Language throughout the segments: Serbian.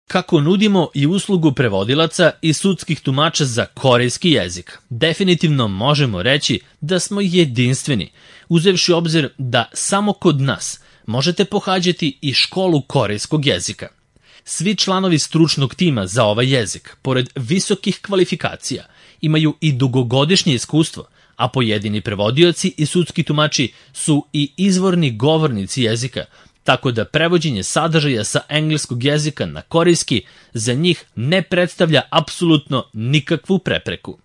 Kako nudimo i uslugu prevodilaca i sudskih tumača za korejski jezik, definitivno možemo reći da smo jedinstveni, uzevši obzir da samo kod nas možete pohađati i školu korejskog jezika. Svi članovi stručnog tima za ovaj jezik, pored visokih kvalifikacija, imaju i dugogodišnje iskustvo, a pojedini prevodioci i sudski tumači su i izvorni govornici jezika, tako da prevođenje sadržaja sa engleskog jezika na korejski za njih ne predstavlja apsolutno nikakvu prepreku.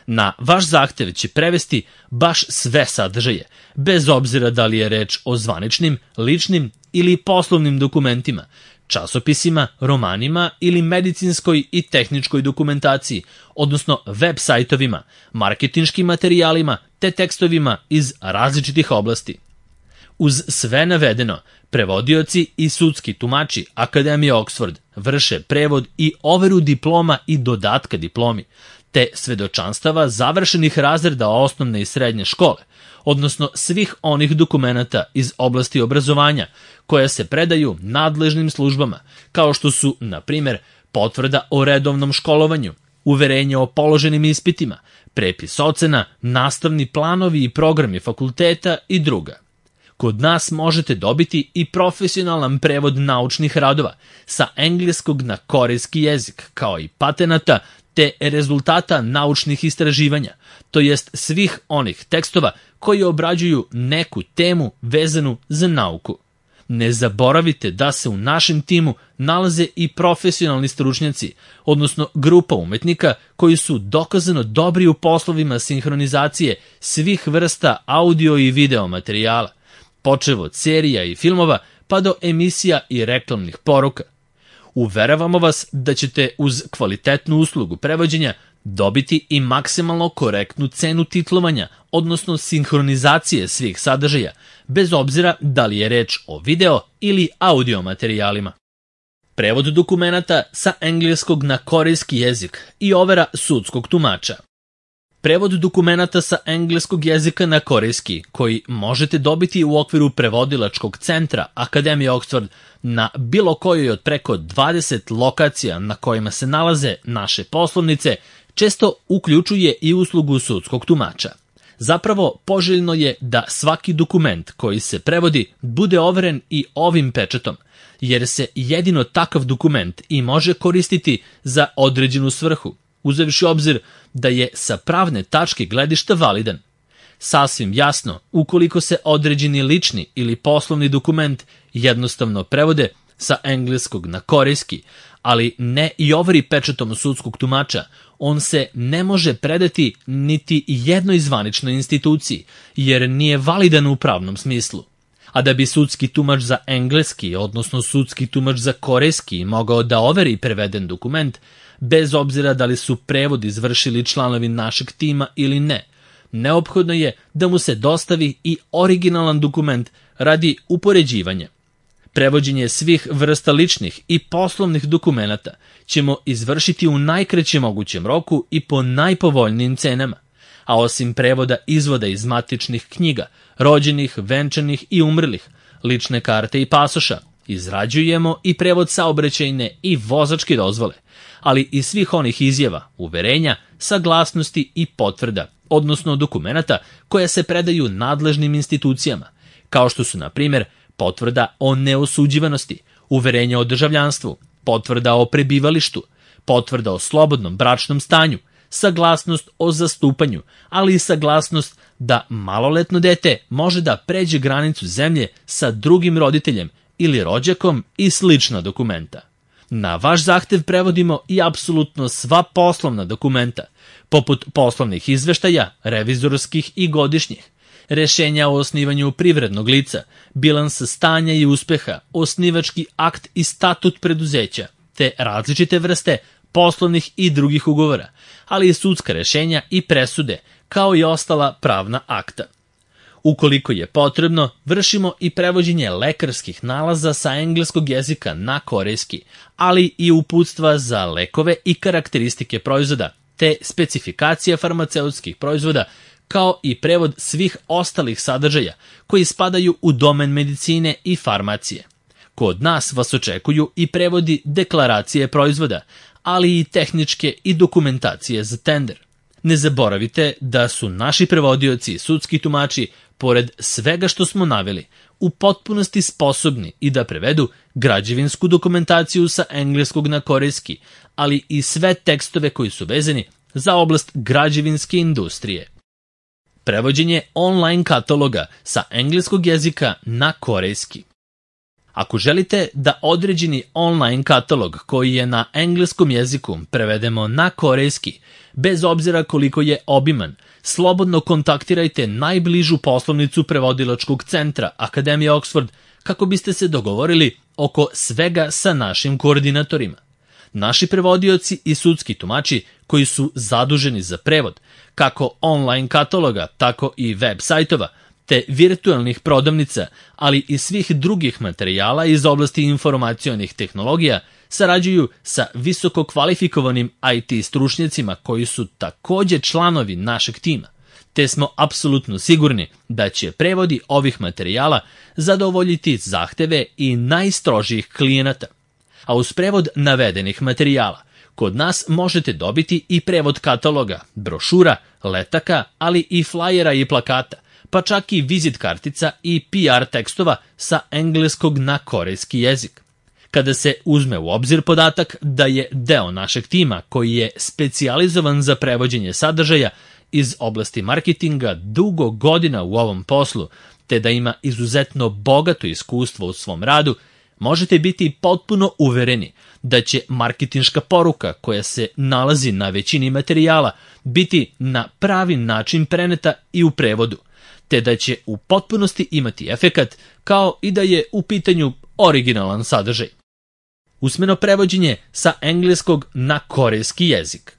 Na vaš zahtev će prevesti baš sve sadržaje, bez obzira da li je reč o zvaničnim, ličnim ili poslovnim dokumentima, časopisima, romanima ili medicinskoj i tehničkoj dokumentaciji, odnosno web sajtovima, marketinškim materijalima te tekstovima iz različitih oblasti. Uz sve navedeno, prevodioci i sudski tumači Akademije Oxford vrše prevod i overu diploma i dodatka diplomi, te svedočanstava završenih razreda osnovne i srednje škole, odnosno svih onih dokumenata iz oblasti obrazovanja koja se predaju nadležnim službama, kao što su, na primjer, potvrda o redovnom školovanju, uverenje o položenim ispitima, prepis ocena, nastavni planovi i programi fakulteta i druga. Kod nas možete dobiti i profesionalan prevod naučnih radova sa engleskog na korejski jezik, kao i patenata te rezultata naučnih istraživanja, to jest svih onih tekstova koji obrađuju neku temu vezanu za nauku. Ne zaboravite da se u našem timu nalaze i profesionalni stručnjaci, odnosno grupa umetnika koji su dokazano dobri u poslovima sinhronizacije svih vrsta audio i video materijala, počev od serija i filmova pa do emisija i reklamnih poruka. Uveravamo vas da ćete uz kvalitetnu uslugu prevođenja dobiti i maksimalno korektnu cenu titlovanja, odnosno sinhronizacije svih sadržaja, bez obzira da li je reč o video ili audio materijalima. Prevod dokumenata sa engleskog na korejski jezik i overa sudskog tumača. Prevod dokumenata sa engleskog jezika na korejski, koji možete dobiti u okviru prevodilačkog centra Akademije Oxford na bilo kojoj od preko 20 lokacija na kojima se nalaze naše poslovnice, često uključuje i uslugu sudskog tumača. Zapravo, poželjno je da svaki dokument koji se prevodi bude overen i ovim pečatom, jer se jedino takav dokument i može koristiti za određenu svrhu, uzevši obzir da je sa pravne tačke gledišta validan. Sasvim jasno, ukoliko se određeni lični ili poslovni dokument jednostavno prevode sa engleskog na korejski, ali ne i overi pečatom sudskog tumača, on se ne može predati niti jednoj zvaničnoj instituciji, jer nije validan u pravnom smislu. A da bi sudski tumač za engleski, odnosno sudski tumač za korejski, mogao da overi preveden dokument, bez obzira da li su prevod izvršili članovi našeg tima ili ne, neophodno je da mu se dostavi i originalan dokument radi upoređivanja. Prevođenje svih vrsta ličnih i poslovnih dokumenata ćemo izvršiti u najkraćem mogućem roku i po najpovoljnijim cenama, a osim prevoda izvoda iz matičnih knjiga, rođenih, venčanih i umrlih, lične karte i pasoša, izrađujemo i prevod saobraćajne i vozačke dozvole, ali i svih onih izjava, uverenja, saglasnosti i potvrda, odnosno dokumenata koje se predaju nadležnim institucijama, kao što su, na primjer, potvrda o neosuđivanosti, uverenje o državljanstvu, potvrda o prebivalištu, potvrda o slobodnom bračnom stanju, saglasnost o zastupanju, ali i saglasnost da maloletno dete može da pređe granicu zemlje sa drugim roditeljem ili rođakom i slična dokumenta. Na vaš zahtev prevodimo i apsolutno sva poslovna dokumenta, poput poslovnih izveštaja, revizorskih i godišnjih, rešenja o osnivanju privrednog lica, bilansa stanja i uspeha, osnivački akt i statut preduzeća, te različite vrste poslovnih i drugih ugovora, ali i sudska rešenja i presude, kao i ostala pravna akta. Ukoliko je potrebno, vršimo i prevođenje lekarskih nalaza sa engleskog jezika na korejski, ali i uputstva za lekove i karakteristike proizvoda, te specifikacija farmaceutskih proizvoda, kao i prevod svih ostalih sadržaja koji spadaju u domen medicine i farmacije. Kod nas vas očekuju i prevodi deklaracije proizvoda, ali i tehničke i dokumentacije za tender. Ne zaboravite da su naši prevodioci i sudski tumači, pored svega što smo naveli, u potpunosti sposobni i da prevedu građevinsku dokumentaciju sa engleskog na korejski, ali i sve tekstove koji su vezani za oblast građevinske industrije. Prevođenje online kataloga sa engleskog jezika na korejski. Ako želite da određeni online katalog koji je na engleskom jeziku prevedemo na korejski, bez obzira koliko je obiman, slobodno kontaktirajte najbližu poslovnicu prevodilačkog centra Akademije Oxford kako biste se dogovorili oko svega sa našim koordinatorima. Naši prevodioci i sudski tumači koji su zaduženi za prevod, kako online kataloga, tako i web sajtova, te virtualnih prodavnica, ali i svih drugih materijala iz oblasti informacionih tehnologija, sarađuju sa visoko kvalifikovanim IT stručnjacima koji su takođe članovi našeg tima, te smo apsolutno sigurni da će prevodi ovih materijala zadovoljiti zahteve i najstrožijih klijenata. A uz prevod navedenih materijala, kod nas možete dobiti i prevod kataloga, brošura, letaka, ali i flajera i plakata, pa čak i vizit kartica i PR tekstova sa engleskog na korejski jezik. Kada se uzme u obzir podatak da je deo našeg tima koji je specijalizovan za prevođenje sadržaja iz oblasti marketinga dugo godina u ovom poslu, te da ima izuzetno bogato iskustvo u svom radu, možete biti potpuno uvereni da će marketinška poruka koja se nalazi na većini materijala biti na pravi način preneta i u prevodu, te da će u potpunosti imati efekat kao i da je u pitanju originalan sadržaj. Usmeno prevođenje sa engleskog na korejski jezik.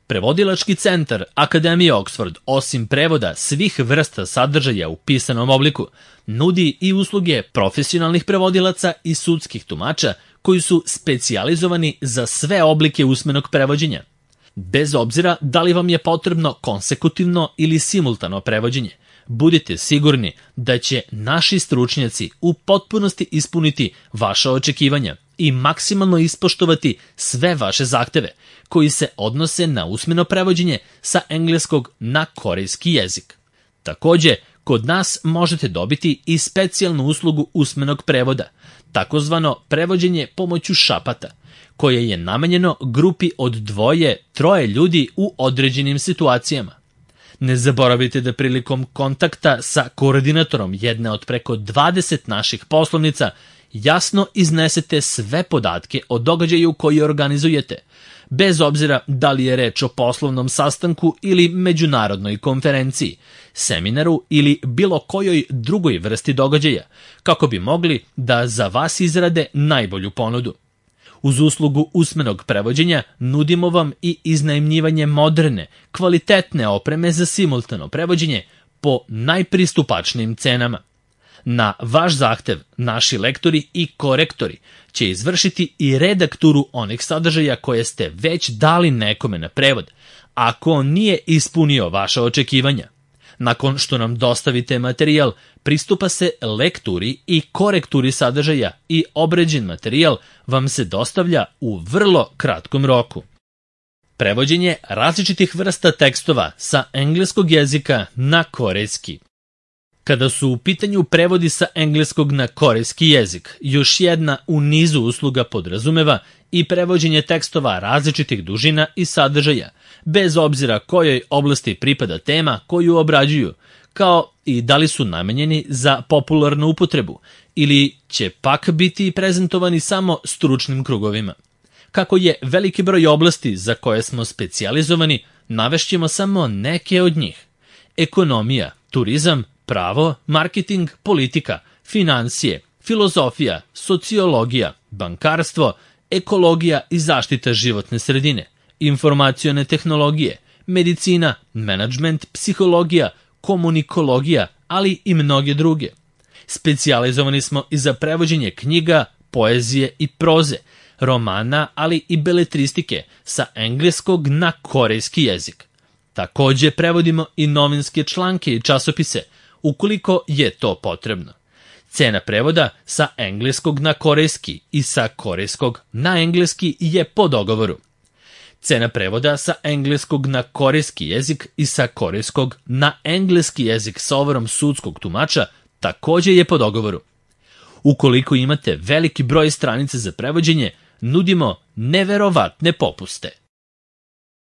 Prevodilački centar Akademije Oxford, osim prevoda svih vrsta sadržaja u pisanom obliku, nudi i usluge profesionalnih prevodilaca i sudskih tumača koji su specijalizovani za sve oblike usmenog prevođenja. Bez obzira da li vam je potrebno konsekutivno ili simultano prevođenje, budite sigurni da će naši stručnjaci u potpunosti ispuniti vaša očekivanja i maksimalno ispoštovati sve vaše zahteve koji se odnose na usmeno prevođenje sa engleskog na korejski jezik. Takođe, kod nas možete dobiti i specijalnu uslugu usmenog prevoda, takozvano prevođenje pomoću šapata, koje je namenjeno grupi od 2-3 ljudi u određenim situacijama. Ne zaboravite da prilikom kontakta sa koordinatorom jedne od preko 20 naših poslovnica jasno iznesete sve podatke o događaju koji organizujete, bez obzira da li je reč o poslovnom sastanku ili međunarodnoj konferenciji, seminaru ili bilo kojoj drugoj vrsti događaja, kako bi mogli da za vas izrade najbolju ponudu. Uz uslugu usmenog prevođenja nudimo vam i iznajmljivanje moderne, kvalitetne opreme za simultano prevođenje po najpristupačnijim cenama. Na vaš zahtev naši lektori i korektori će izvršiti i redakturu onih sadržaja koje ste već dali nekome na prevod, ako on nije ispunio vaša očekivanja. Nakon što nam dostavite materijal, pristupa se lekturi i korekturi sadržaja i obrađen materijal vam se dostavlja u vrlo kratkom roku. Prevođenje različitih vrsta tekstova sa engleskog jezika na korejski. Kada su u pitanju prevodi sa engleskog na korejski jezik, još jedna u nizu usluga podrazumeva i prevođenje tekstova različitih dužina i sadržaja, bez obzira kojoj oblasti pripada tema koju obrađuju, kao i da li su namenjeni za popularnu upotrebu ili će pak biti prezentovani samo stručnim krugovima. Kako je veliki broj oblasti za koje smo specijalizovani, navešćemo samo neke od njih. Ekonomija, turizam, pravo, marketing, politika, financije, filozofija, sociologija, bankarstvo, ekologija i zaštita životne sredine, informacione tehnologije, medicina, menadžment, psihologija, komunikologija, ali i mnoge druge. Specijalizovani smo i za prevođenje knjiga, poezije i proze, romana, ali i beletristike sa engleskog na korejski jezik. Takođe prevodimo i novinske članke i časopise, ukoliko je to potrebno. Cena prevoda sa engleskog na korejski i sa korejskog na engleski je po dogovoru. Cena prevoda sa engleskog na korejski jezik i sa korejskog na engleski jezik sa overom sudskog tumača takođe je po dogovoru. Ukoliko imate veliki broj stranica za prevođenje, nudimo neverovatne popuste.